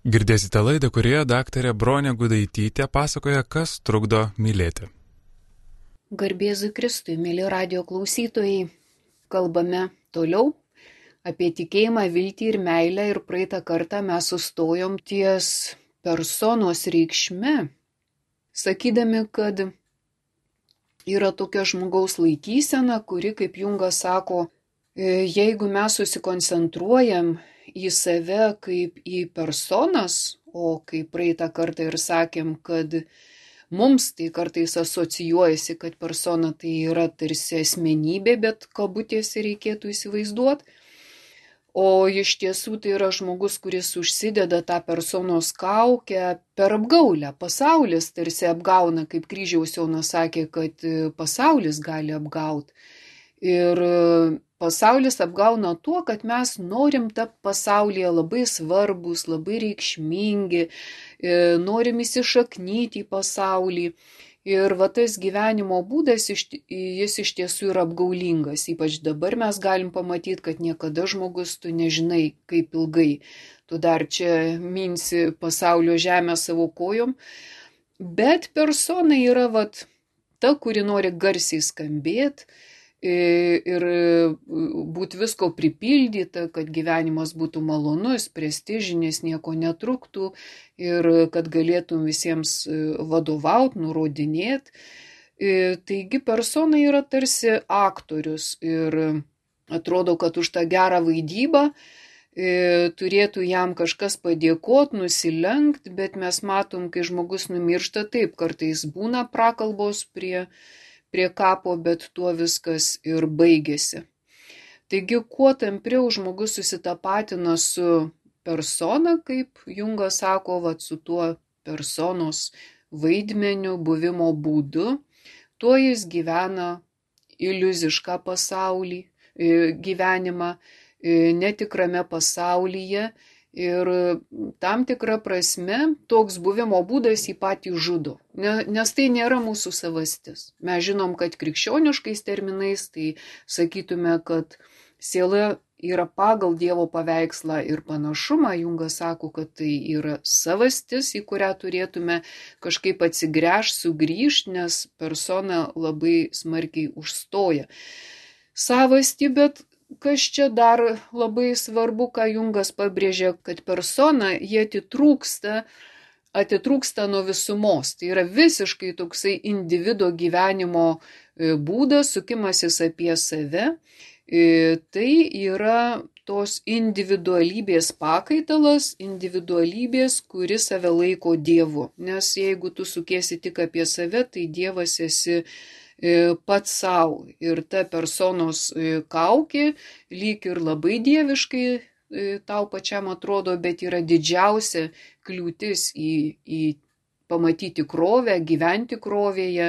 Girdėsite laidą, kurioje daktarė Bronė Gudaitytė pasakoja, kas trukdo mylėti. Garbėzui Kristui, mėly radio klausytojai, kalbame toliau apie tikėjimą, viltį ir meilę, ir praeitą kartą mes sustojom ties personos reikšme, sakydami, kad yra tokia žmogaus laikysena, kuri, kaip Jungas sako, jeigu mes susikoncentruojam į save kaip į personas, o kaip praeitą kartą ir sakėm, kad mums tai kartais asocijuojasi, kad persona tai yra tarsi asmenybė, bet kabutėse reikėtų įsivaizduoti. O iš tiesų tai yra žmogus, kuris užsideda tą personos kaukę per apgaulę. Pasaulis tarsi apgauna, kaip Kryžiaus Jonas sakė, kad pasaulis gali apgauti. Ir pasaulis apgauna tuo, kad mes norim tapti pasaulyje labai svarbus, labai reikšmingi, norim įsišaknyti į pasaulį. Ir va tas gyvenimo būdas, jis iš tiesų yra apgaulingas. Ypač dabar mes galim pamatyti, kad niekada žmogus tu nežinai, kaip ilgai. Tu dar čia minsi pasaulio žemę savo kojom. Bet persona yra vat ta, kuri nori garsiai skambėti ir būti visko pripildyta, kad gyvenimas būtų malonus, prestižinis, nieko netruktų ir kad galėtum visiems vadovauti, nurodinėti. Taigi persona yra tarsi aktorius ir atrodo, kad už tą gerą vaidybą turėtų jam kažkas padėkoti, nusilenkti, bet mes matom, kai žmogus numiršta, taip kartais būna prakalbos prie kapo, bet tuo viskas ir baigėsi. Taigi, kuo tampriau žmogus susitapatina su persona, kaip Jungas sako, su tuo personos vaidmeniu, buvimo būdu, tuo jis gyvena iliuzišką pasaulį, gyvenimą netikrame pasaulyje. Ir tam tikra prasme toks buvimo būdas jį patį žudo, nes tai nėra mūsų savastis. Mes žinom, kad krikščioniškais terminais tai sakytume, kad siela yra pagal Dievo paveikslą ir panašumą. Jungas sako, kad tai yra savastis, į kurią turėtume kažkaip atsigręžti, sugrįžti, nes persona labai smarkiai užstoja savastį, bet kas čia dar labai svarbu, ką Jungas pabrėžė, kad persona jie atitrūksta nuo visumos. Tai yra visiškai toksai individo gyvenimo būdas, sukimasis apie save. Tai yra tos individualybės pakaitalas, individualybės, kuri save laiko Dievu. Nes jeigu tu sukiesi tik apie save, tai Dievas esi pats savo. Ir ta personos kaukė lyg ir labai dieviškai tau pačiam atrodo, bet yra didžiausia kliūtis į pamatyti tikrovę, gyventi tikrovėje,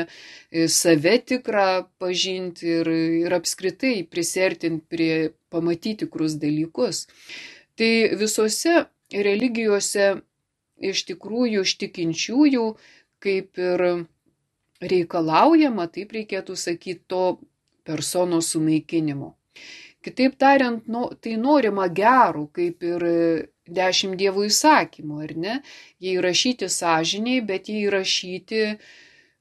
save tikrą pažinti ir apskritai prisertinti prie pamatyti tikrus dalykus. Tai visose religijose iš tikrųjų iš tikinčiųjų kaip ir reikalaujama, taip reikėtų sakyti, to personos sunaikinimo. Kitaip tariant, tai norima gerų, kaip ir 10 Dievo įsakymų, ar ne? Jie įrašyti sąžiniai, bet jie įrašyti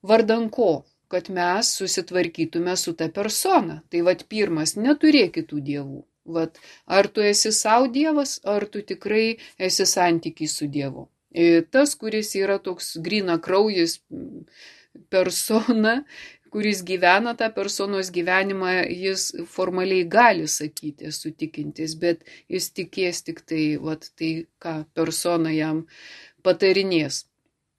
vardan ko? Kad mes susitvarkytume su ta persona. Tai pirmas, neturėk kitų dievų. Ar tu esi savo dievas, ar tu tikrai esi santykiai su Dievu. Tas, kuris yra toks gryna kraujis, persona, kuris gyvena tą personos gyvenimą, jis formaliai gali sakyti, esu tikintis, bet jis tikės tik tai, tai ką persona jam patarinės.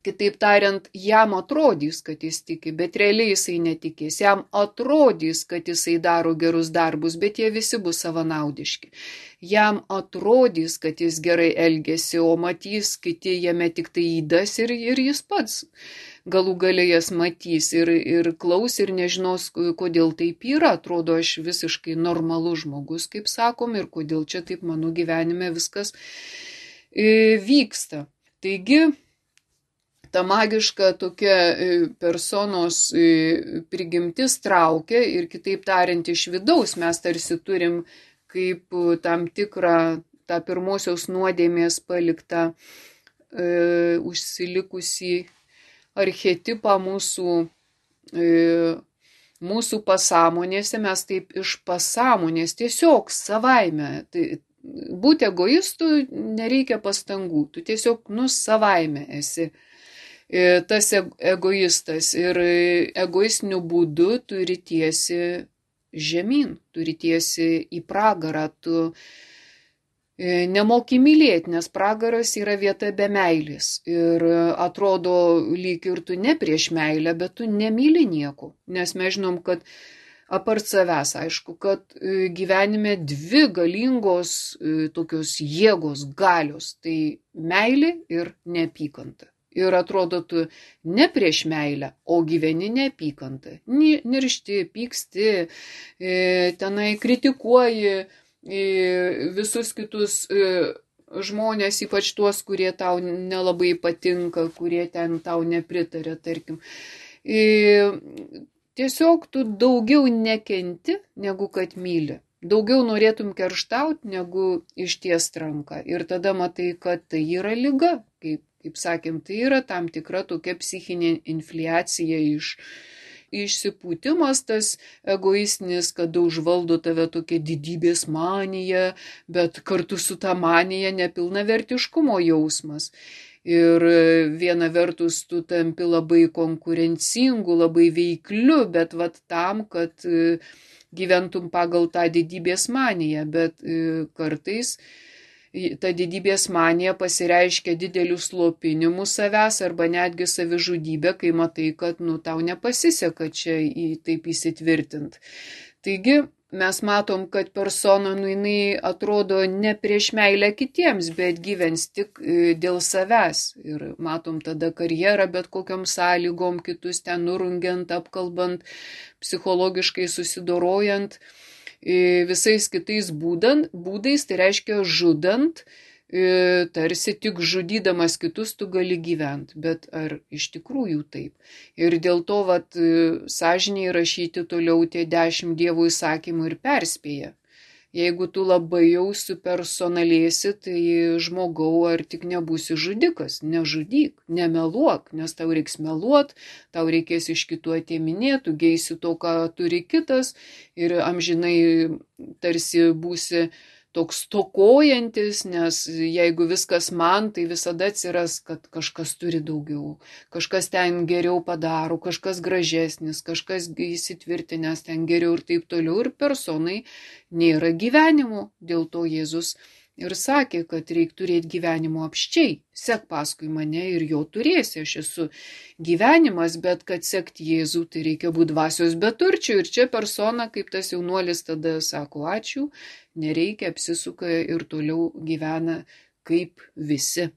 Kitaip tariant, jam atrodys, kad jis tiki, bet realiai jisai netikės. Jam atrodys, kad jisai daro gerus darbus, bet jie visi bus savanaudiški. Jam atrodys, kad jis gerai elgesi, o matys kiti jame tik tai įdas ir jis pats galų gale jas matys ir klaus ir nežinos, kodėl taip yra. Atrodo, aš visiškai normalus žmogus, kaip sakom, ir kodėl čia taip mano gyvenime viskas vyksta. Taigi, ta magiška tokia personos prigimtis traukia ir kitaip tariant iš vidaus mes tarsi turim kaip tam tikrą tą pirmosios nuodėmės paliktą užsilikusį archetipą mūsų pasąmonėse, mes taip iš pasąmonės tiesiog savaime. Tai būti egoistu nereikia pastangų, tu tiesiog savaime esi tas egoistas ir egoistiniu būdu turi tiesi žemyn, turi tiesi į pragarą, tu nemoki mylėti, nes pragaras yra vieta be meilės ir atrodo lyg ir tu ne prieš meilę, bet tu nemyli nieko, nes mes žinom, kad apart savęs, aišku, kad gyvenime dvi galingos tokios jėgos, galios, tai meilė ir neapykanta. Ir atrodo, tu ne prieš meilę, o gyveni neapykantą. Niršti, pyksti, tenai kritikuoji visus kitus žmonės, ypač tuos, kurie tau nelabai patinka, kurie ten tau nepritarė, tarkim. Tiesiog tu daugiau nekenti, negu kad myli. Daugiau norėtum kerštauti, negu ištiest ranką. Ir tada matai, kad tai yra liga, kaip sakėm, tai yra tam tikra tokia psichinė infliacija išsipūtimas tas egoistinis, kada užvaldo tave tokia didybės manija, bet kartu su ta manija nepilnavertiškumo jausmas. Ir viena vertus tu tampi labai konkurencingu, labai veikliu, bet tam, kad gyventum pagal tą didybės maniją, bet kartais ta didybės manija pasireiškia dideliu slopinimu savęs arba netgi savižudybė, kai matai, kad tau nepasiseka čia taip įsitvirtint. Taigi mes matom, kad persona jinai atrodo ne prieš meilę kitiems, bet gyvens tik dėl savęs. Ir matom tada karjerą bet kokiom sąlygom, kitus ten nurungiant, apkalbant, psichologiškai susidorojant. Visais kitais būdais, tai reiškia žudant, tarsi tik žudydamas kitus tu gali gyventi, bet ar iš tikrųjų taip? Ir dėl to sąžiniai rašyti toliau tie 10 Dievo įsakymų ir perspėja. Jeigu tu labai jau supersonalėsi, tai žmogau, ar tik nebūsi žudikas, nežudyk, nemeluok, nes tau reiks meluot, tau reikės iš kitų atėminėti, tu geisi to, ką turi kitas ir amžinai tarsi būsi toks stokojantis, nes jeigu viskas man, tai visada atsiras, kad kažkas turi daugiau, kažkas ten geriau padaro, kažkas gražesnis, kažkas įsitvirtinęs ten geriau ir taip toliau. Ir personai nėra gyvenimo, dėl to Jėzus ir sakė, kad reikia turėti gyvenimo apščiai, sek paskui mane ir jo turėsi, aš esu gyvenimas, bet kad sekti Jėzų, tai reikia būti dvasios beturčių. Ir čia persona, kaip tas jaunuolis tada sako ačiū, nereikia, apsisuka ir toliau gyvena kaip visi.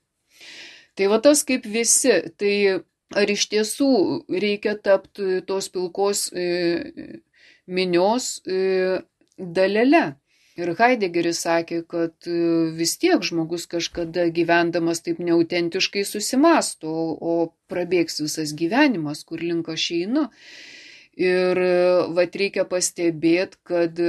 Tai tas kaip visi, tai ar iš tiesų reikia tapti tos pilkos minios dalele? Ir Heidegeris sakė, kad vis tiek žmogus kažkada gyvendamas taip neautentiškai susimasto, o prabėgs visas gyvenimas, kur link aš einu. Ir reikia pastebėti, kad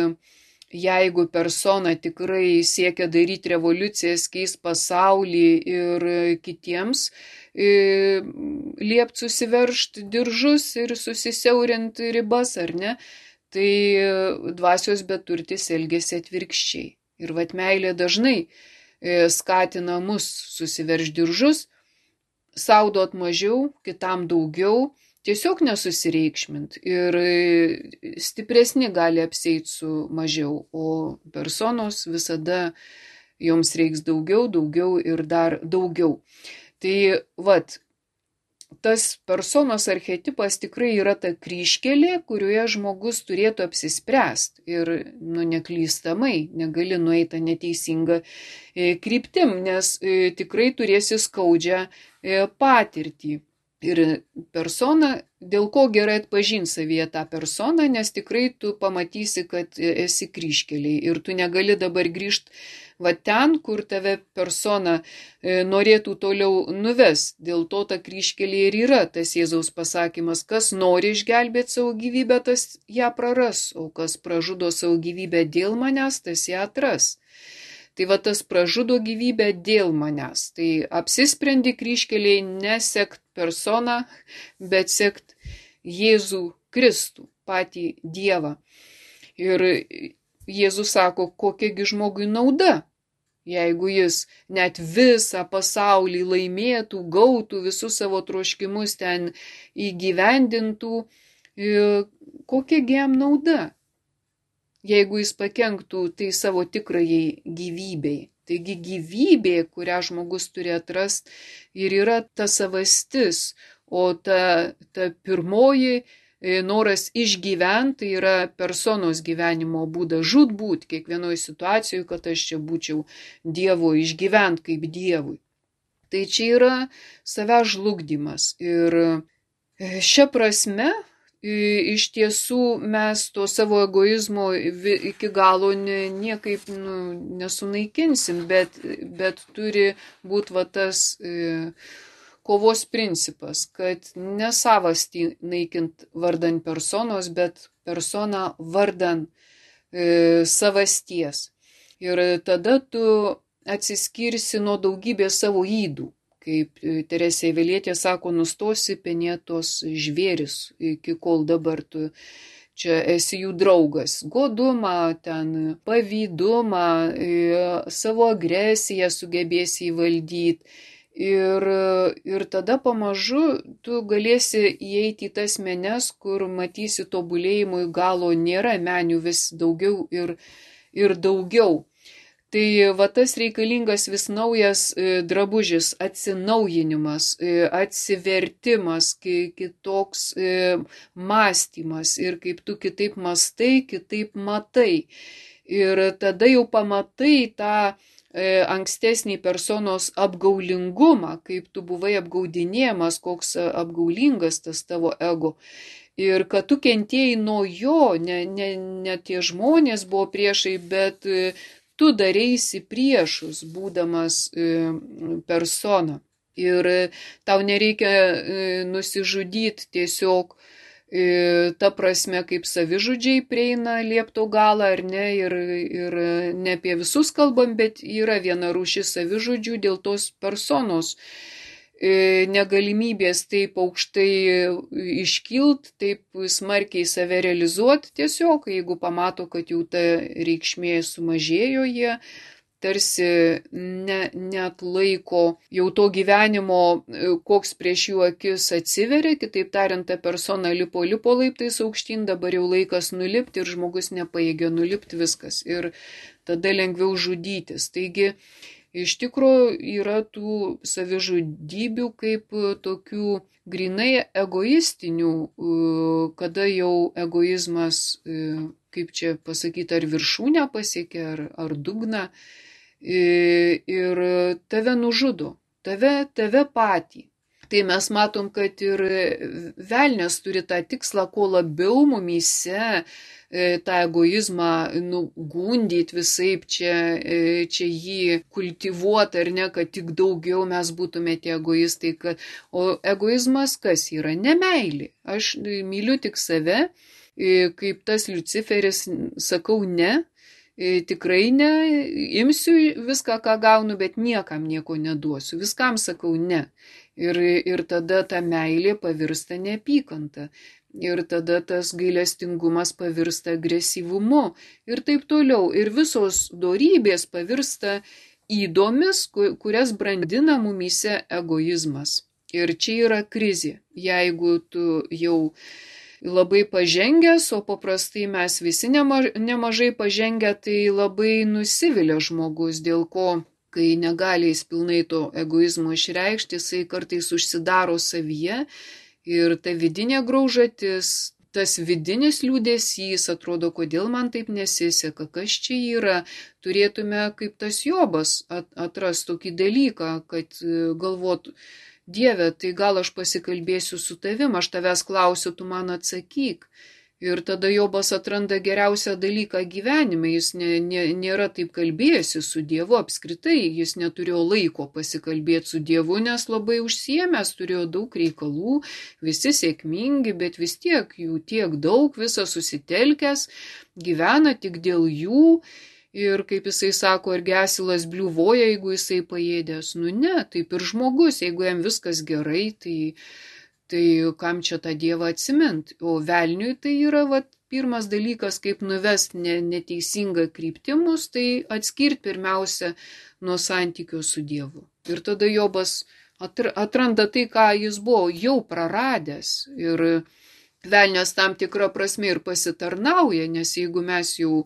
jeigu persona tikrai siekia daryti revoliucijas, keis pasaulį ir kitiems liept susiveržti diržus ir susisiaurinti ribas, ar ne, tai dvasios beturtis elgiasi atvirkščiai. Ir meilė dažnai skatina mus susiverž diržus, sau duot mažiau, kitam daugiau, tiesiog nesusireikšmint. Ir stipresni gali apseit su mažiau, o personos visada joms reiks daugiau ir dar daugiau. Tai tas personos archetipas tikrai yra ta kryžkelė, kurioje žmogus turėtų apsispręsti ir neklystamai, negali nueiti neteisingą kryptim, nes tikrai turėsi skaudžią patirtį. Ir persona, dėl ko gerai atpažinti savyje tą personą, nes tikrai tu pamatysi, kad esi kryžkeliai ir tu negali dabar grįžti ten, kur tave persona norėtų toliau nuves. Dėl to ta kryžkelė ir yra tas Jėzaus pasakymas, kas nori išgelbėti savo gyvybę, tas ją praras, o kas pražudo savo gyvybę dėl manęs, tas ją atras. Tai va tas pražudo gyvybę dėl manęs. Tai apsisprendi kryžkeliai nesekt personą, bet sekt Jėzų Kristų, patį Dievą. Ir Jėzus sako, kokiagi žmogui nauda, jeigu jis net visą pasaulį laimėtų, gautų visus savo troškimus ten įgyvendintų, kokiagi jam nauda, jeigu jis pakenktų tai savo tikrajai gyvybei. Taigi gyvybė, kurią žmogus turi atrasti, ir yra ta savastis, o ta pirmoji noras išgyventi tai yra personos gyvenimo būdas, žūtbūt kiekvienoje situacijoje, kad aš čia būčiau Dievo, išgyventi kaip Dievui. Tai čia yra savęs žlugdymas. Ir šia prasme, iš tiesų mes to savo egoizmo iki galo niekaip nesunaikinsim, bet turi būti va tas kovos principas, kad ne savastį naikint vardan personos, bet personą vardan savasties. Ir tada tu atsiskirsi nuo daugybės savo ydų. Kaip Teresė Avilietė sako, nustosi penėtos žvėris, iki kol dabar tu čia esi jų draugas. Godumą, ten pavydumą, savo agresiją sugebėsi įvaldyti. Ir tada pamažu tu galėsi įeiti į tas menes, kur matysi tobulėjimui galo nėra, menių vis daugiau ir daugiau. Tai va tas reikalingas vis naujas drabužis, atsinaujinimas, atsivertimas, kitoks mąstymas ir kaip tu kitaip mąstai, kitaip matai. Ir tada jau pamatai tą ankstesnį personos apgaulingumą, kaip tu buvai apgaudinėjamas, koks apgaulingas tas tavo ego. Ir kad tu kentėjai nuo jo, ne tie žmonės buvo priešai, bet tu darėsi priešus, būdamas persona. Ir tau nereikia nusižudyti tiesiog ta prasme, kaip savižudžiai prieina liepto galą ar ne, ir ne apie visus kalbam, bet yra viena rūšis savižudžių dėl tos personos negalimybės taip aukštai iškilt, taip smarkiai save realizuoti tiesiog, jeigu pamato, kad jau ta reikšmė sumažėjo, jie tarsi net laiko jau to gyvenimo, koks prieš jų akis atsiveria, kitaip tariant, ta persona lipo laiptais aukštyn, dabar jau laikas nulipti ir žmogus nepajėgia nulipti, viskas. Ir tada lengviau žudytis. Taigi, iš tikrųjų yra tų savižudybių kaip tokių grinai egoistinių, kada jau egoizmas, kaip čia pasakyti, ar viršūnę pasiekia, ar dugną, ir tave nužudo, tave patį. Tai mes matom, kad ir velnias turi tą tikslą, kuo labiau mumyse tą egoizmą gundyti visaip, čia jį kultivuoti ar ne, kad tik daugiau mes būtume tie egoistai. O egoizmas kas yra? Nemeilė. Aš myliu tik save, kaip tas Liuciferis sakau ne, tikrai ne, imsiu viską, ką gaunu, bet niekam nieko neduosiu, viskam sakau ne. Ir tada ta meilė pavirsta neapykanta. Ir tada tas gailestingumas pavirsta agresyvumu ir taip toliau. Ir visos dorybės pavirsta ydomis, kurias brandina mumyse egoizmas. Ir čia yra krizė. Jeigu tu jau labai pažengęs, o paprastai mes visi nemažai pažengę, tai labai nusivilia žmogus, dėl ko, kai negali jis pilnai to egoizmo išreikšti, jisai kartais užsidaro savyje ir ta vidinė graužatis, tas vidinis liūdesys, atrodo, kodėl man taip nesiseka, kas čia yra, turėtume kaip tas Jobas atrasti tokį dalyką, kad galvotų, Dieve, tai gal aš pasikalbėsiu su tavim, aš tavęs klausiu, tu man atsakyk. Ir tada Jobas atranda geriausią dalyką gyvenime, jis nėra taip kalbėjęsi su Dievu apskritai, jis neturėjo laiko pasikalbėti su Dievu, nes labai užsiėmęs, turėjo daug reikalų, visi sėkmingi, bet vis tiek jų tiek daug, visas susitelkęs, gyvena tik dėl jų. Ir kaip jisai sako, argi asilas bliuvoja, jeigu jisai paėdęs. Nu ne, taip ir žmogus, jeigu jam viskas gerai, tai kam čia tą Dievą atsimint? O velniui tai yra pirmas dalykas, kaip nuvest neteisingą kryptimus, tai atskirti pirmiausia nuo santykio su Dievu. Ir tada Jobas atranda tai, ką jis buvo jau praradęs. Ir velnias tam tikrą prasme ir pasitarnauja, nes jeigu mes jau,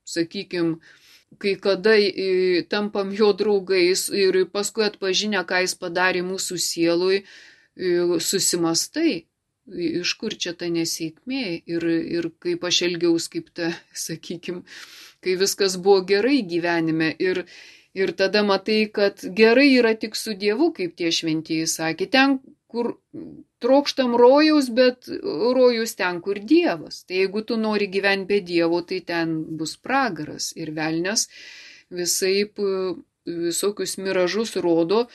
sakykime, kai kada tampam jo draugais ir paskui atpažinę, ką jis padarė mūsų sielui, susimastai, iš kur čia ta nesėkmė ir kaip aš elgiaus, kaip ta, sakykime, kai viskas buvo gerai gyvenime. Ir tada matai, kad gerai yra tik su Dievu, kaip tie šventieji sakė, ten, kur trokštam rojaus, bet rojus ten, kur Dievas. Tai jeigu tu nori gyventi be Dievo, tai ten bus pragaras. Ir velnias visaip visokius miražus rodo,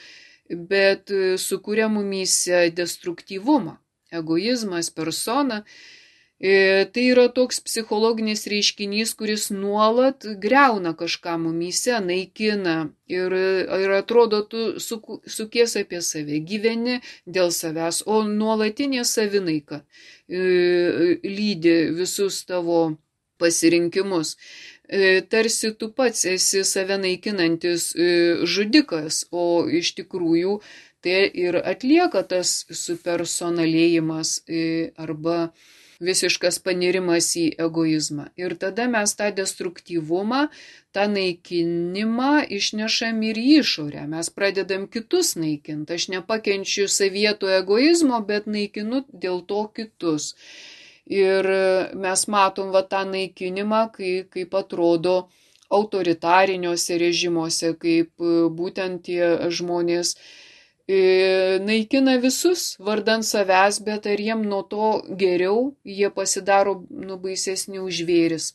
bet sukuria mumyse destruktyvumą, egoizmas, persona. Tai yra toks psichologinis reiškinys, kuris nuolat griauna kažką mumyse, naikina ir atrodo, tu sukies apie save, gyveni dėl savęs, o nuolatinė savinaika lydi visus tavo pasirinkimus. Tarsi tu pats esi save naikinantis žudikas, o iš tikrųjų tai ir atlieka tas supersonalėjimas arba visiškas panirimas į egoizmą. Ir tada mes tą destruktyvumą, tą naikinimą išnešam ir į išorę. Mes pradedam kitus naikinti. Aš nepakenčiu savieto egoizmo, bet naikinu dėl to kitus. Ir mes matom tą naikinimą, kaip atrodo autoritariniuose režimuose, kaip būtent tie žmonės naikina visus vardant savęs, bet ar jiem nuo to geriau, jie pasidaro baisesni už žvėris.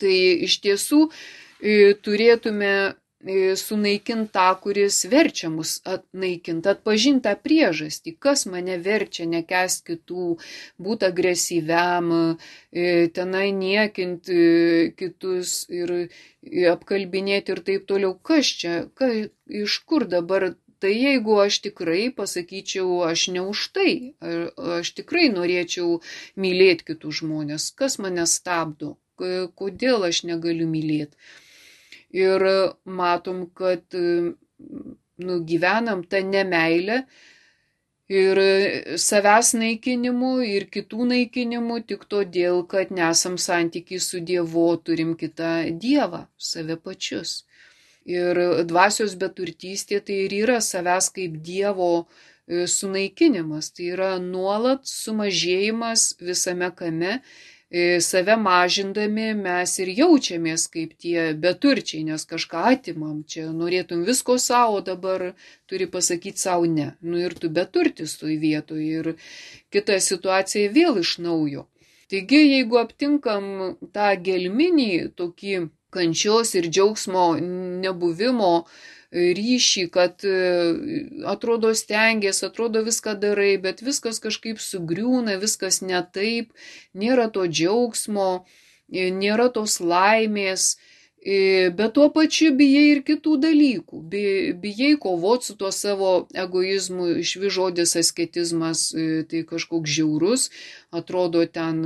Tai iš tiesų turėtume sunaikinti tą, kuris verčia mus naikinti, atpažinti tą priežastį, kas mane verčia nekęsti kitų, būti agresyviam, tenai niekinti kitus ir apkalbinėti ir taip toliau. Kas čia, iš kur dabar? Tai jeigu aš tikrai pasakyčiau, aš ne už tai, aš tikrai norėčiau mylėti kitus žmonės, kas mane stabdo, kodėl aš negaliu mylėti. Ir matom, kad gyvenam tą nemeilę ir savęs naikinimu ir kitų naikinimu tik todėl, kad nesam santykiai su Dievu, turim kitą Dievą, save pačius. Ir dvasios beturtystė tai ir yra savęs kaip Dievo sunaikinimas, tai yra nuolat sumažėjimas visame kame, save mažindami mes ir jaučiamės kaip tie beturčiai, nes kažką atimam, čia norėtum visko savo, dabar turi pasakyti savo ne. Ir tu beturtis toj vietoj ir kita situacija vėl iš naujo. Taigi, jeigu aptinkam tą gelminį tokį kančios ir džiaugsmo nebuvimo ryšį, kad atrodo stengies, atrodo viską darai, bet viskas kažkaip sugriūna, viskas ne taip, nėra to džiaugsmo, nėra tos laimės, bet tuo pačiu bijai ir kitų dalykų, bijai kovoti su tuo savo egoizmu, išvis žodis asketizmas, tai kažkoks žiaurus, atrodo ten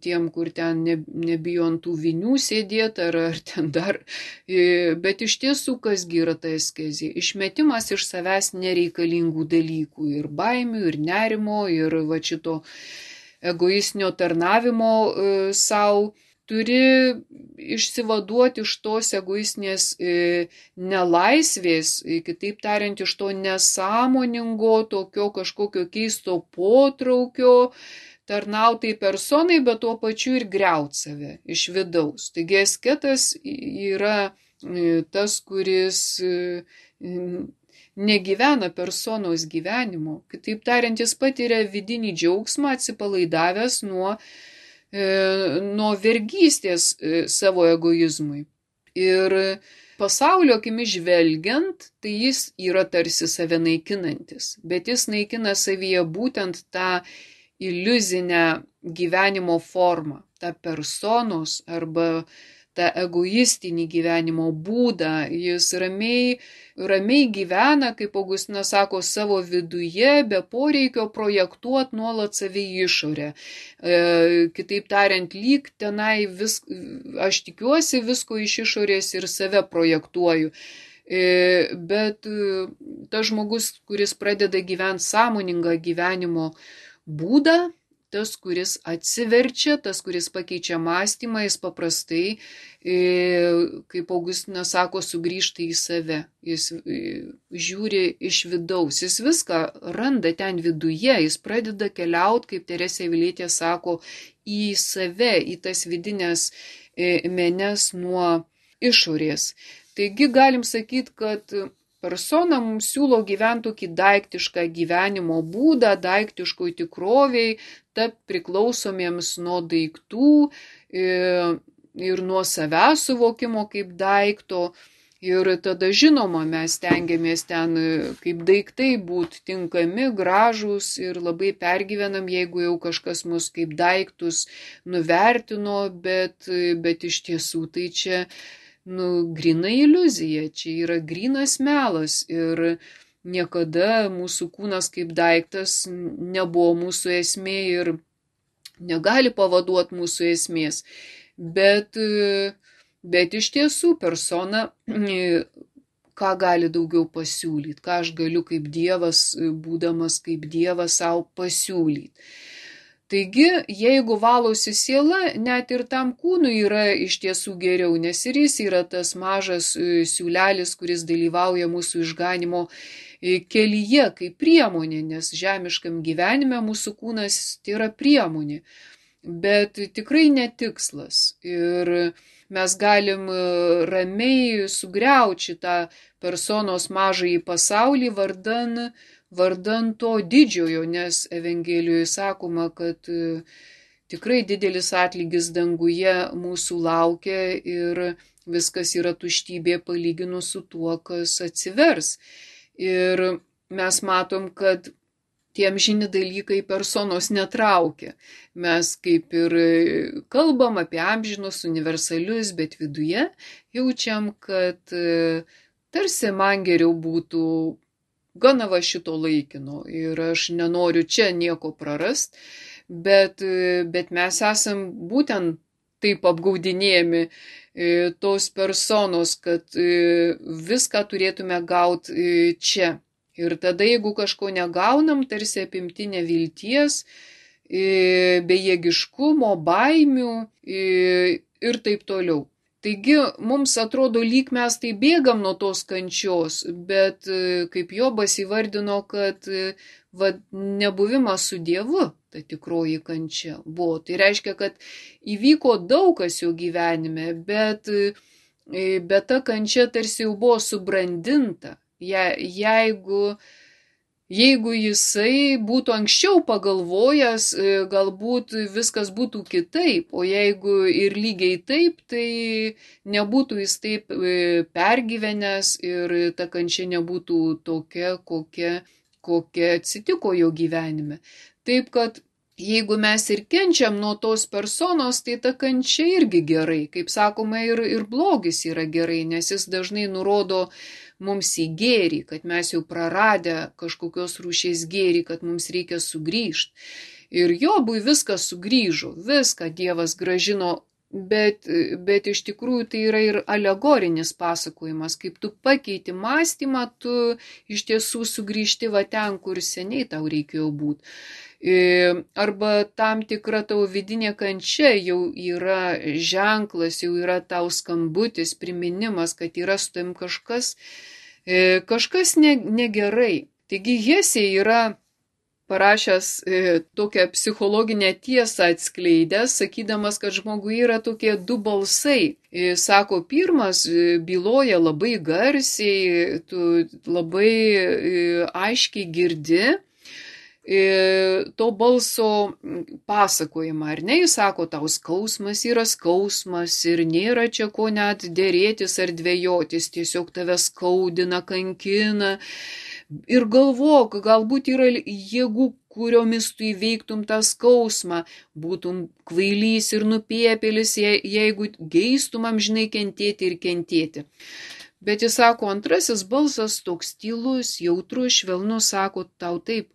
tiem, kur ten nebijo ant tų vinių sėdėti ar ten dar, bet iš tiesų kasgi yra ta askezė, išmetimas iš savęs nereikalingų dalykų ir baimių, ir nerimo, ir šito egoistinio tarnavimo savo. Turi išsivaduoti iš tos egoistinės nelaisvės, kitaip tariant, iš to nesąmoningo, tokio kažkokio keisto potraukio, tarnautai personai, bet tuo pačiu ir griaut save iš vidaus. Taigi asketas yra tas, kuris negyvena personos gyvenimo. Kitaip tariant, jis patiria vidinį džiaugsmą atsipalaidavęs nuo vergystės savo egoizmui. Ir pasaulio akimis žvelgiant, tai jis yra tarsi save naikinantis, bet jis naikina savyje būtent tą iliuzinę gyvenimo formą, tą personos arba tą egoistinį gyvenimo būdą. Jis ramiai gyvena, kaip Augustinas sako, savo viduje, be poreikio projektuoti nuolat save į išorę. Kitaip tariant, lyg tenai aš tikiuosi visko iš išorės ir save projektuoju. Bet tas žmogus, kuris pradeda gyventi sąmoningą gyvenimo būdą, tas, kuris atsiverčia, tas, kuris pakeičia mąstymą, jis paprastai, kaip Augustinas sako, sugrįžta į save. Jis žiūri iš vidaus, jis viską randa ten viduje, jis pradeda keliauti, kaip Teresė Avilietė sako, į save, į tas vidinės menes nuo išorės. Taigi galim sakyti, kad persona mums siūlo gyventi tokį daiktišką gyvenimo būdą, daiktiškoj tikroviai, tapti priklausomiems nuo daiktų ir nuo savęs suvokimo kaip daikto. Ir tada žinoma, mes stengiamės ten kaip daiktai būti tinkami, gražūs ir labai pergyvenam, jeigu jau kažkas mus kaip daiktus nuvertino, bet iš tiesų tai čia gryna iliuzija, čia yra grynas melas ir niekada mūsų kūnas kaip daiktas nebuvo mūsų esmė ir negali pavaduoti mūsų esmės. Bet iš tiesų persona ką gali daugiau pasiūlyti, ką aš galiu kaip Dievas, būdamas kaip Dievas savo pasiūlyti. Taigi, jeigu valosi siela, net ir tam kūnui yra iš tiesų geriau, nes ir jis yra tas mažas siūlelis, kuris dalyvauja mūsų išganimo kelyje kaip priemonė, nes žemiškam gyvenime mūsų kūnas tai yra priemonė, bet tikrai netikslas. Ir mes galim ramiai sugriauti tą personos mažąjį pasaulį vardan to didžiojo, nes Evangelijoje sakoma, kad tikrai didelis atlygis danguje mūsų laukia ir viskas yra tuštybė palyginus su tuo, kas atsivers. Ir mes matom, kad tie amžini dalykai personos netraukia. Mes kaip ir kalbam apie amžinus, universalius, bet viduje jaučiam, kad tarsi man geriau būtų gana va šito laikino ir aš nenoriu čia nieko prarast, bet mes esam būtent taip apgaudinėjami tos personos, kad viską turėtume gauti čia. Ir tada, jeigu kažko negaunam, tarsi apimti nevilties, bejėgiškumo, baimių ir taip toliau. Taigi mums atrodo, lyg mes tai bėgam nuo tos kančios, bet kaip Jobas įvardino, kad nebuvimas su Dievu, ta tikroji kančia buvo. Tai reiškia, kad įvyko daug kas jo gyvenime, bet ta kančia tarsi jau buvo subrandinta. Jeigu jisai būtų anksčiau pagalvojęs, galbūt viskas būtų kitaip, o jeigu ir lygiai taip, tai nebūtų jis taip pergyvenęs ir ta kančia nebūtų tokia, kokia atsitiko jo gyvenime. Taip, kad jeigu mes ir kenčiam nuo tos personos, tai ta kančia irgi gerai. Kaip sakoma, ir blogis yra gerai, nes jis dažnai nurodo mums į gėrį, kad mes jau praradę kažkokios rūšies gėrį, kad mums reikia sugrįžti. Ir Jobui viskas sugrįžo, viską Dievas gražino, bet iš tikrųjų tai yra ir alegorinis pasakojimas. Kaip tu pakeiti mąstymą, tu iš tiesų sugrįžti va ten, kur seniai tau reikėjo būti. Arba tam tikra tavo vidinė kančia jau yra ženklas, jau yra tau skambutis, priminimas, kad yra su tavim kažkas negerai. Taigi Hesė yra parašęs tokią psichologinę tiesą atskleidęs, sakydamas, kad žmogui yra tokie du balsai. Sako, pirmas byloja labai garsiai, tu labai aiškiai girdi to balso pasakojimą, ar ne? Jis sako, tau skausmas yra skausmas ir nėra čia ko net dėrėtis ar dvejotis, tiesiog tave skaudina, kankina. Ir galvok, galbūt yra jėgų, kuriomis tu įveiktum tą skausmą, būtum kvailys ir nupiepėlis, jeigu geistum amžinai kentėti ir kentėti. Bet jis sako, antrasis balsas toks tylus, jautrus, švelnus, sako tau taip,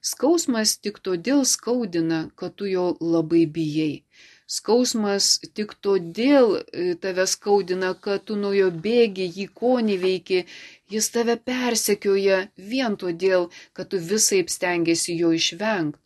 skausmas tik todėl skaudina, kad tu jo labai bijai. Skausmas tik todėl tave skaudina, kad tu nuo jo bėgi, jį ko neveiki, jis tave persekioja vien todėl, kad tu visaip stengiasi jo išvengti.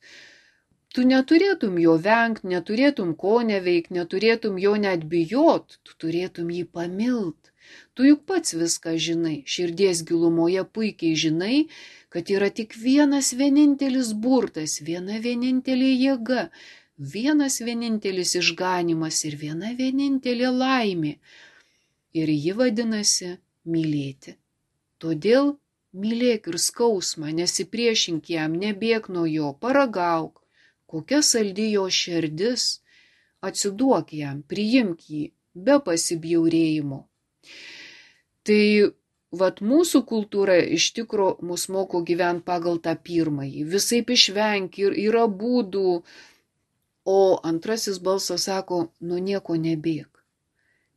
Tu neturėtum jo vengti, neturėtum ko neveikti, neturėtum jo net bijot, tu turėtum jį pamilt. Tu juk pats viską žinai, širdies gilumoje puikiai žinai, kad yra tik vienas vienintelis burtas, viena vienintelė jėga, vienas vienintelis išganimas ir viena vienintelė laimė. Ir ji vadinasi mylėti. Todėl mylėk ir skausmą, nesipriešink jam, nebėk nuo jo, paragauk, kokia saldi jo širdis, atsiduok jam, priimk jį, be pasibjaurėjimo. Tai vat mūsų kultūra iš tikro mus moko gyventi pagal tą pirmąjį, visaip išvengti ir yra būdų, o antrasis balsas sako, nuo nieko nebėk,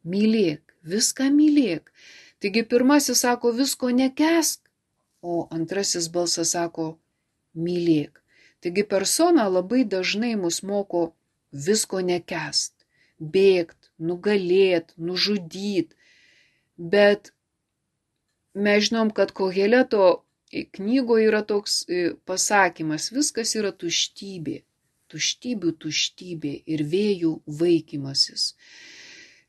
mylėk, viską mylėk. Taigi pirmasis sako, visko nekęsk, o antrasis balsas sako, mylėk. Taigi persona labai dažnai mus moko visko nekęst, bėgt, nugalėt, nužudyt. Bet mes žinom, kad Koheleto knygoje yra toks pasakymas, viskas yra tuštybė, tuštybių tuštybė ir vėjų vaikymasis.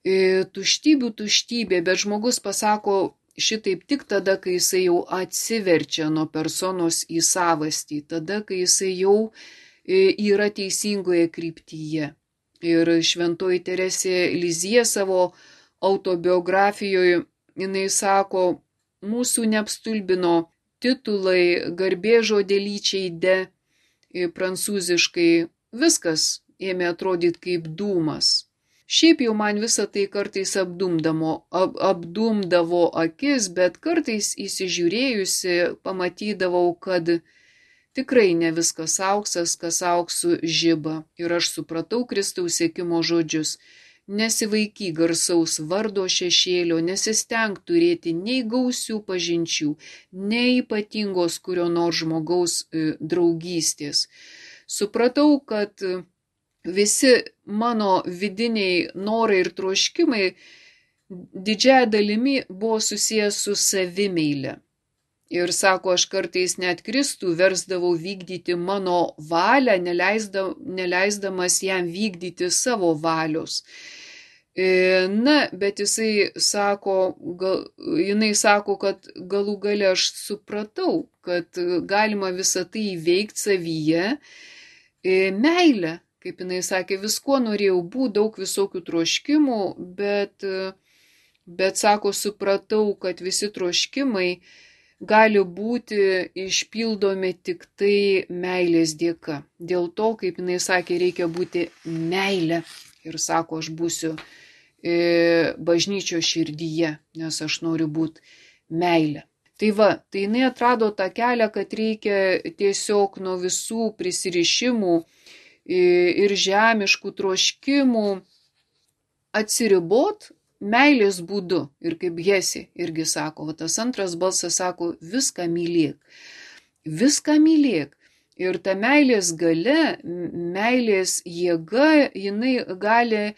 Tuštybių tuštybė, bet žmogus pasako šitaip tik tada, kai jisai jau atsiverčia nuo personos į savastį, tada, kai jisai jau yra teisingoje kryptyje. Ir šventoji Teresė Lizija savo autobiografijoje, jinai sako, mūsų neapstulbino titulai, garbėžodelyčiai de, prancūziškai, viskas ėmė atrodyti kaip dūmas. Šiaip jau man visą tai kartais apdumdavo akis, bet kartais įsižiūrėjusi pamatydavau, kad tikrai ne viskas auksas, kas auksų žiba. Ir aš supratau Kristaus sekimo žodžius. Nesivaiky garsaus vardo šešėlio, nesisteng turėti nei gausių pažinčių, nei ypatingos kurio nors žmogaus draugystės. Supratau, kad visi mano vidiniai norai ir troškimai didžiąja dalimi buvo susijęs su savimeile. Ir sako, aš kartais net Kristų versdavau vykdyti mano valią, neleisdamas jam vykdyti savo valios. Na, bet jinai sako, kad galų gale aš supratau, kad galima visą tai įveikti savyje. Meilė, kaip jinai sakė, visko norėjau būti, daug visokių troškimų, bet sako, supratau, kad visi troškimai gali būti išpildomi tik tai meilės dėka. Dėl to, kaip jinai sakė, reikia būti meilė. Ir sako, aš būsiu bažnyčios širdyje, nes aš noriu būti meilė. Tai va, tai jinai atrado tą kelią, kad reikia tiesiog nuo visų prisirišimų ir žemiškų troškimų atsiribot meilės būdu. Ir kaip Hesė irgi sako, va, tas antras balsas sako, viską mylėk. Viską mylėk. Ir ta meilės galia, meilės jėga, jinai gali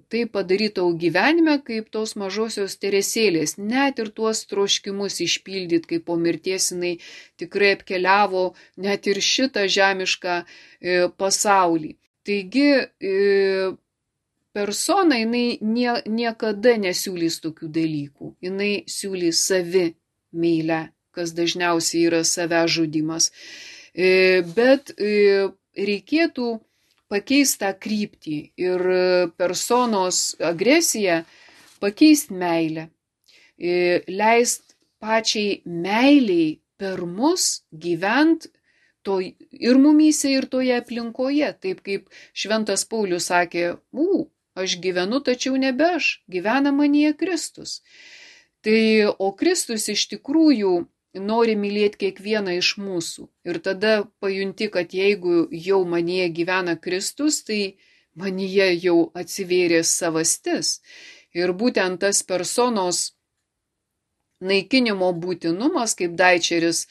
tai padaryti tau gyvenime, kaip tos mažosios Teresėlės, net ir tuos troškimus išpildyti, kaip po mirties jinai tikrai apkeliavo net ir šitą žemišką pasaulį. Taigi persona jinai niekada nesiūlys tokių dalykų, jinai siūlys savi meilę, kas dažniausiai yra savęs žudymas. Bet reikėtų pakeisti tą kryptį ir personos agresiją pakeisti meilę, leist pačiai meiliai per mus gyvent ir mumyse, ir toje aplinkoje, taip kaip šventas Paulius sakė, aš gyvenu, tačiau nebe aš, gyvena manyje Kristus. Tai, o Kristus iš tikrųjų nori mylėti kiekvieną iš mūsų. Ir tada pajunti, kad jeigu jau manyje gyvena Kristus, tai manyje jau atsivėrė savastis. Ir būtent tas personos naikinimo būtinumas, kaip Daičeris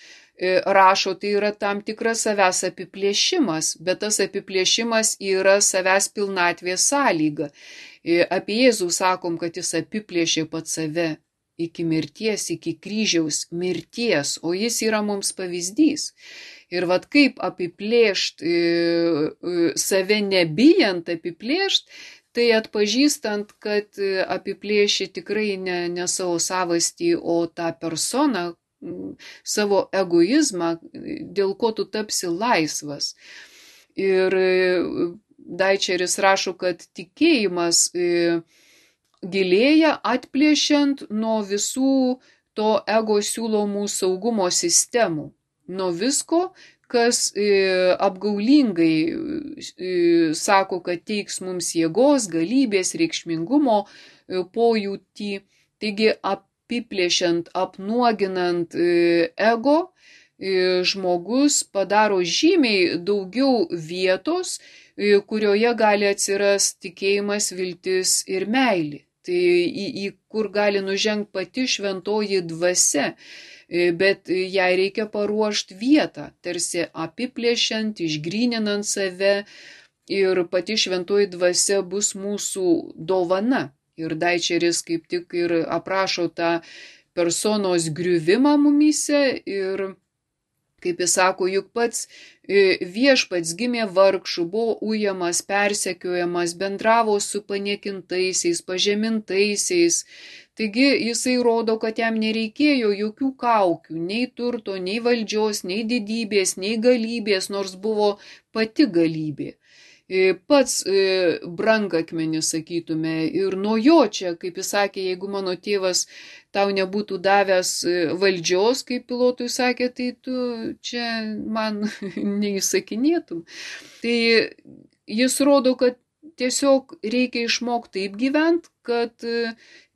rašo, tai yra tam tikras savęs apiplėšimas, bet tas apiplėšimas yra savęs pilnatvės sąlyga. Apie Jėzų sakom, kad jis apiplėšė pats save iki mirties, iki kryžiaus mirties, o jis yra mums pavyzdys. Ir vat kaip apiplėšt, save nebijant apiplėšt, tai atpažįstant, kad apiplėši tikrai ne savo savastį, o tą personą, savo egoizmą, dėl ko tu tapsi laisvas. Ir Daičeris rašo, kad tikėjimas gilėja atplėšiant nuo visų to ego siūlomų saugumo sistemų, nuo visko, kas apgaulingai sako, kad teiks mums jėgos, galybės, reikšmingumo pojūtį. Taigi apiplėšiant, apnuoginant ego, žmogus padaro žymiai daugiau vietos, kurioje gali atsirasti tikėjimas, viltis ir meilė. Tai į kur gali nužengti pati šventoji dvasia, bet jai reikia paruošti vietą, tarsi apiplėšiant, išgryninant save, ir pati šventoji dvasia bus mūsų dovana. Ir Daičeris kaip tik ir aprašo tą personos griuvimą mumyse ir, kaip jis sako, juk pats viešpats gimė vargšų, buvo ujamas, persekiojamas, bendravo su paniekintaisiais, pažemintaisiais. Taigi jisai rodo, kad jam nereikėjo jokių kaukių, nei turto, nei valdžios, nei didybės, nei galybės, nors buvo pati galybė. Pats brangakmenis, sakytume, ir nuo jo čia, kaip jis sakė, jeigu mano tėvas tau nebūtų davęs valdžios, kaip Pilotui sakė, tai tu čia man neįsakinėtum. Tai jis rodo, kad tiesiog reikia išmokti taip gyventi, kad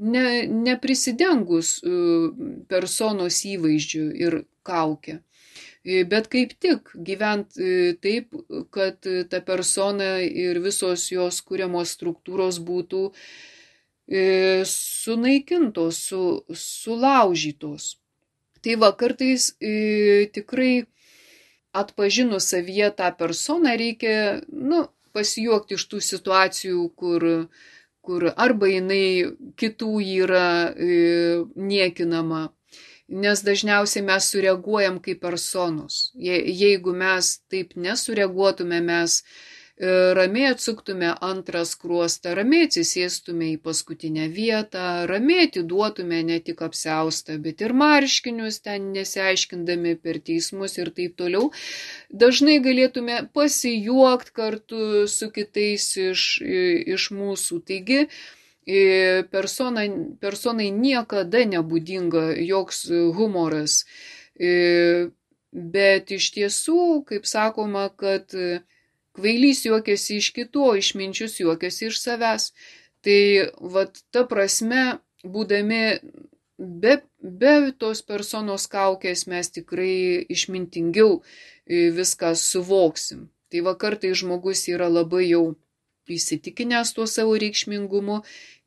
neprisidengus personos įvaizdžiu ir kaukę. Bet kaip tik gyvent taip, kad ta persona ir visos jos kuriamos struktūros būtų sunaikintos, sulaužytos. Tai va, kartais tikrai atpažinus savyje tą personą reikia pasijuokti iš tų situacijų, kur arba jinai kitų yra niekinama. Nes dažniausiai mes sureaguojam kaip personos. Jeigu mes taip nesureaguotume, mes ramiai atsuktume antrą skruostą, ramiai atsisėstume į paskutinę vietą, ramiai atiduotume ne tik apsiaustą, bet ir marškinius, ten nesiaiškindami per teismus ir taip toliau, dažnai galėtume pasijuokti kartu su kitais iš mūsų. Taigi, personai niekada nebūdinga joks humoras, bet iš tiesų, kaip sakoma, kad kvailys juokiasi iš kitų, o išminčius juokiasi iš savęs. Tai vat ta prasme, būdami be tos personos kaukės, mes tikrai išmintingiau viską suvoksim. Tai va kartai žmogus yra labai jau įsitikinęs tuo savo reikšmingumu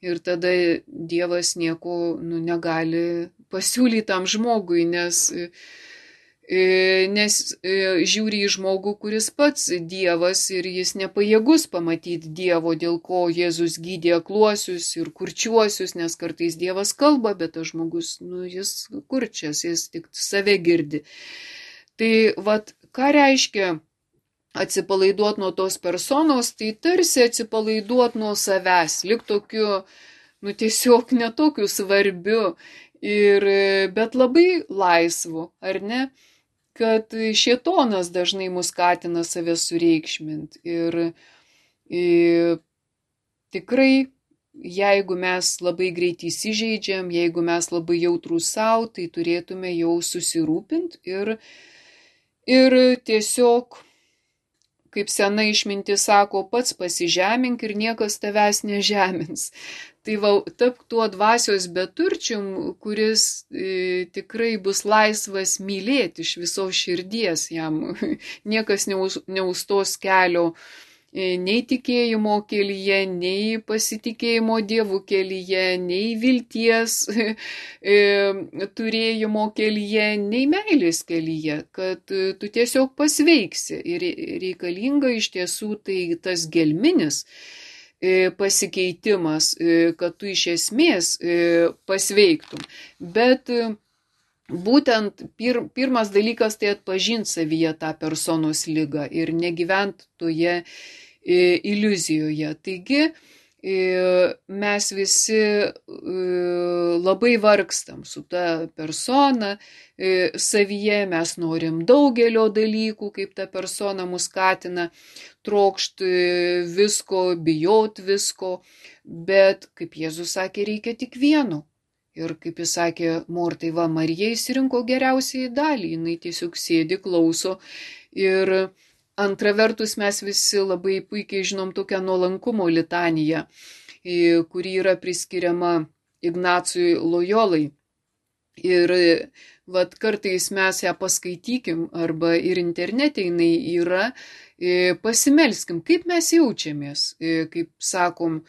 ir tada Dievas nieko negali pasiūlyti tam žmogui, nes žiūri į žmogų, kuris pats Dievas ir jis nepajėgus pamatyti Dievo, dėl ko Jėzus gydė akluosius ir kurčiuosius, nes kartais Dievas kalba, bet tas žmogus, jis kurčias, jis tik save girdi. Tai vat, ką reiškia atsipalaiduoti nuo tos personos, tai tarsi atsipalaiduoti nuo savęs, lik tokiu, tiesiog netokiu svarbiu, bet labai laisvu, ar ne? Kad šėtonas dažnai mus skatina save sureikšminti. Ir tikrai, jeigu mes labai greit įsižeidžiam, jeigu mes labai jautrūs savo, tai turėtume jau susirūpinti ir tiesiog, kaip sena išmintis sako, pats pasižemink ir niekas tavęs nežemins. Tai va, tapk tuo dvasios beturčium, kuris tikrai bus laisvas mylėti iš visos širdies, jam niekas neustos kelio nei tikėjimo kelyje, nei pasitikėjimo Dievu kelyje, nei vilties turėjimo kelyje, nei meilės kelyje, kad tu tiesiog pasveiksi. Ir reikalinga iš tiesų tai tas gelminis pasikeitimas, kad tu iš esmės pasveiktum. Bet būtent pirmas dalykas tai atpažinti savyje tą personos ligą ir negyvent toje iliuzijoje. Taigi mes visi labai vargstam su ta persona savyje, mes norim daugelio dalykų, kaip ta persona mus skatina trokšti visko, bijot visko, bet, kaip Jėzus sakė, reikia tik vieno. Ir kaip jis sakė Mortai, va, Marija išsirinko geriausiai dalį, jinai tiesiog sėdi, klauso. Ir antra vertus mes visi labai puikiai žinom tokią nuolankumo litaniją, kuri yra priskiriama Ignacui Lojolai. Ir vat, kartais mes ją paskaitykim, arba ir internete jinai yra, pasimelskim, kaip mes jaučiamės, kaip sakom,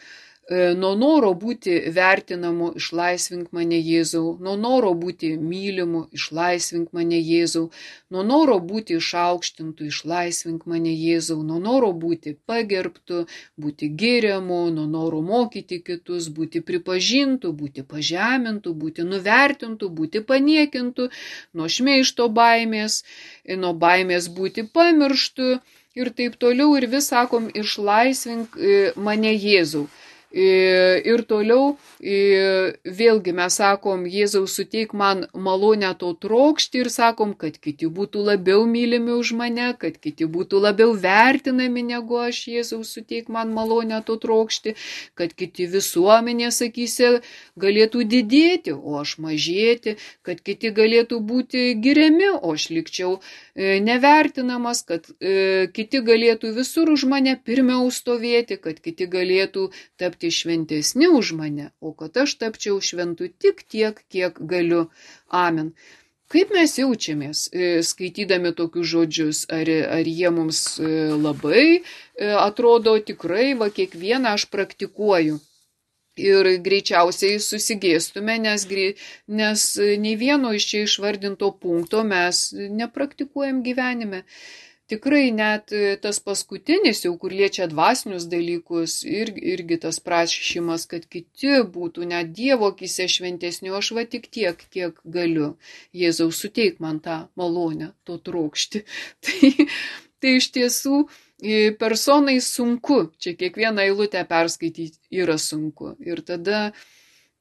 nuo noro būti vertinamu išlaisvink mane Jėzau, nuo noro būti mylimu išlaisvink mane Jėzau, nuo noro būti išaukštintu išlaisvink mane Jėzau, nuo noro būti pagerbtu, būti giriamu, nuo noro mokyti kitus, būti pripažintu, būti pažemintu, būti nuvertintu, būti paniekintu, nuo šmeižto baimės, nuo baimės būti pamirštu ir taip toliau. Ir vis sakom išlaisvink mane Jėzau. Ir toliau vėlgi mes sakom, Jėzau suteik man malonę to trokšti ir sakom, kad kiti būtų labiau mylimi už mane, kad kiti būtų labiau vertinami negu aš, Jėzau suteik man malonę to trokšti, kad kiti visuomenės akyse galėtų didėti, o aš mažėti, kad kiti galėtų būti giriami, o aš likčiau nevertinamas, kad kiti galėtų visur už mane pirmiau stovėti, kad kiti galėtų tapti šventesni už mane, o kad aš tapčiau šventu tik tiek, kiek galiu. Amen. Kaip mes jaučiamės skaitydami tokius žodžius? Ar jie mums labai atrodo tikrai, va kiekvieną aš praktikuoju? Ir greičiausiai susigėstume, nes nei vieno iš čia išvardinto punkto mes nepraktikuojam gyvenime. Tikrai net tas paskutinis, jau kur liečia dvasinius dalykus, irgi tas prašymas, kad kiti būtų net Dievo akyse šventesni, o aš va tik tiek, kiek galiu. Jėzau, suteik man tą malonę, to trokšti. Tai iš tiesų personai sunku, čia kiekvieną eilutę perskaityti yra sunku. Ir tada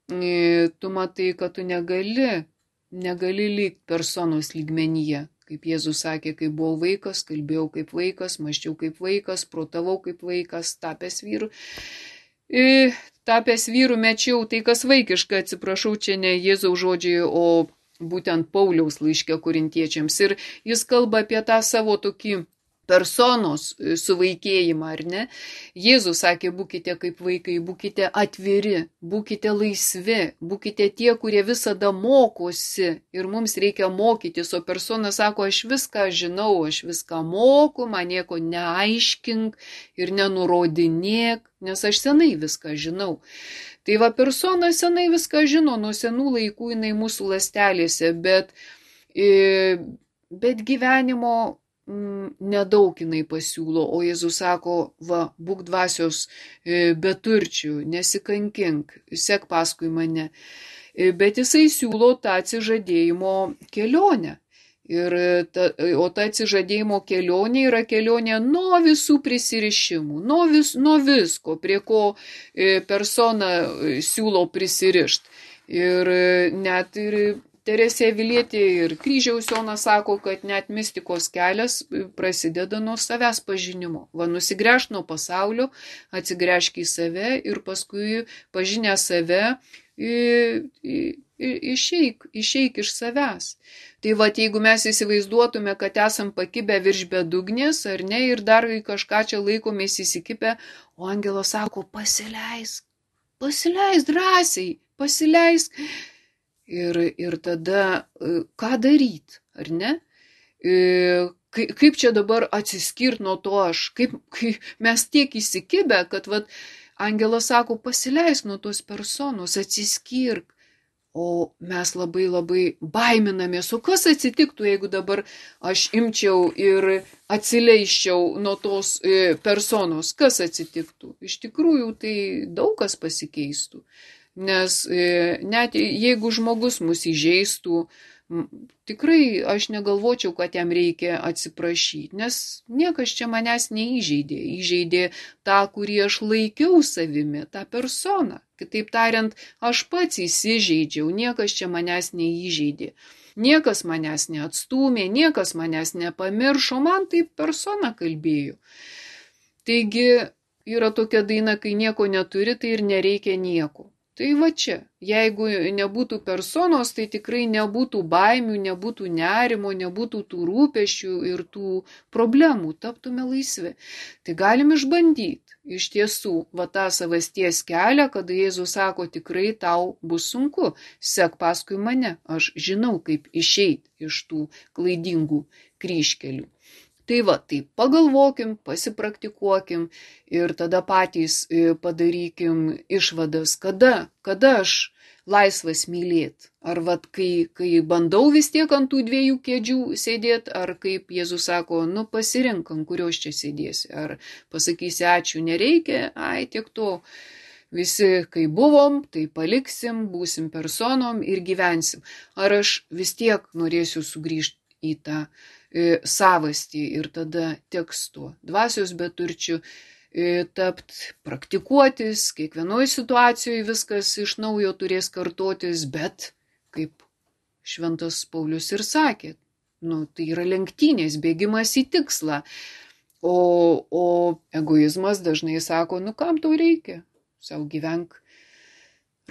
tu matai, kad tu negali likti personos lygmenyje. Kaip Jėzus sakė, kai buvau vaikas, kalbėjau kaip vaikas, mąsčiau kaip vaikas, protavau kaip vaikas, tapęs vyru mečiau tai, kas vaikiška, atsiprašau, čia ne Jėzaus žodžiai, o būtent Pauliaus laiške korintiečiams. Ir jis kalba apie tą savo tokį personos suvaikėjimą, ar ne? Jėzus sakė, būkite kaip vaikai, būkite atviri, būkite laisvi, būkite tie, kurie visada mokosi ir mums reikia mokytis, o persona sako, aš viską žinau, aš viską moku, man nieko neaiškink ir nenurodinėk, nes aš senai viską žinau. Tai va, persona senai viską žino, nuo senų laikų jinai mūsų ląstelėse, bet gyvenimo nedaug jinai pasiūlo, o Jėzus sako, va, būk dvasios beturčių, nesikankink, sek paskui mane. Bet jisai siūlo tą atsižadėjimo kelionę. O ta atsižadėjimo kelionė yra kelionė nuo visų prisirišimų, nuo visko, prie ko persona siūlo prisirišti. Ir net ir Teresė Avilietė ir Kryžiaus Jonas sako, kad net mistikos kelias prasideda nuo savęs pažinimo. Va, nusigręžk nuo pasaulio, atsigręžk į save ir paskui pažinę save išeik iš savęs. Tai va, jeigu mes įsivaizduotume, kad esam pakibę virš bedugnės, ar ne, ir dar kažką čia laikomės įsikibę, o angelas sako, pasileisk. pasileisk drąsiai, pasileisk. Ir tada ką daryti, ar ne? Kaip čia dabar atsiskirti nuo to aš? Kaip mes tiek įsikibę, kad angelas sako, pasileisk nuo tos personos, atsiskirk. O mes labai labai baiminamės. O kas atsitiktų, jeigu dabar aš imčiau ir atsileisčiau nuo tos personos? Kas atsitiktų? Iš tikrųjų, tai daug kas pasikeistų. Nes net jeigu žmogus mus įžeistų, tikrai aš negalvočiau, kad jam reikia atsiprašyti, nes niekas čia manęs neįžeidė. Įžeidė tą, kurį aš laikiau savimi, tą personą. Kitaip tariant, aš pats įsižeidžiau, niekas čia manęs neįžeidė. Niekas manęs neatstūmė, niekas manęs nepamiršo, man taip persona kalbėjo. Taigi yra tokia daina, kai nieko neturi, tai ir nereikia nieko. Tai čia, jeigu nebūtų personos, tai tikrai nebūtų baimių, nebūtų nerimo, nebūtų tų rūpesčių ir tų problemų, taptume laisvi. Tai galim išbandyti. Iš tiesų, tą savasties kelią, kada Jėzus sako, tikrai tau bus sunku, sek paskui mane, aš žinau, kaip išeiti iš tų klaidingų kryžkelių. Tai pagalvokim, pasipraktikuokim ir tada patys padarykim išvadas, kada aš laisvas mylėti. Ar kai bandau vis tiek ant tų dviejų kėdžių sėdėti, ar kaip Jėzus sako, pasirink, ant kurios čia sėdėsi. Ar pasakysi ačiū nereikia, tiek to. Visi, kai buvom, tai paliksim, būsim personom ir gyvensim. Ar aš vis tiek norėsiu sugrįžti į tą savastį ir tada tekstu dvasios beturčių tapti, praktikuotis, kiekvienoje situacijoje viskas iš naujo turės kartotis, bet kaip šventas Paulius ir sakė, tai yra lenktynės, bėgimas į tikslą, o egoizmas dažnai sako, kam tau reikia, sau gyvenk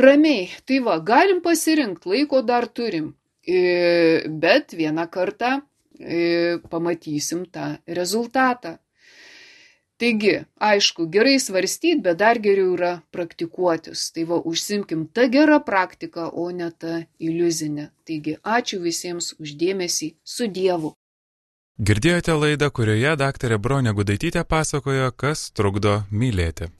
ramiai. Tai galim pasirinkti, laiko dar turim, bet vieną kartą pamatysim tą rezultatą. Taigi, aišku, gerai svarstyti, bet dar geriau yra praktikuotis. Tai užsimkim tą gerą praktiką, o ne tą iliuzinę. Taigi, ačiū visiems už dėmesį, su Dievu. Girdėjote laidą, kurioje daktarė Bronė Gudaitytė pasakojo, kas trukdo mylėti.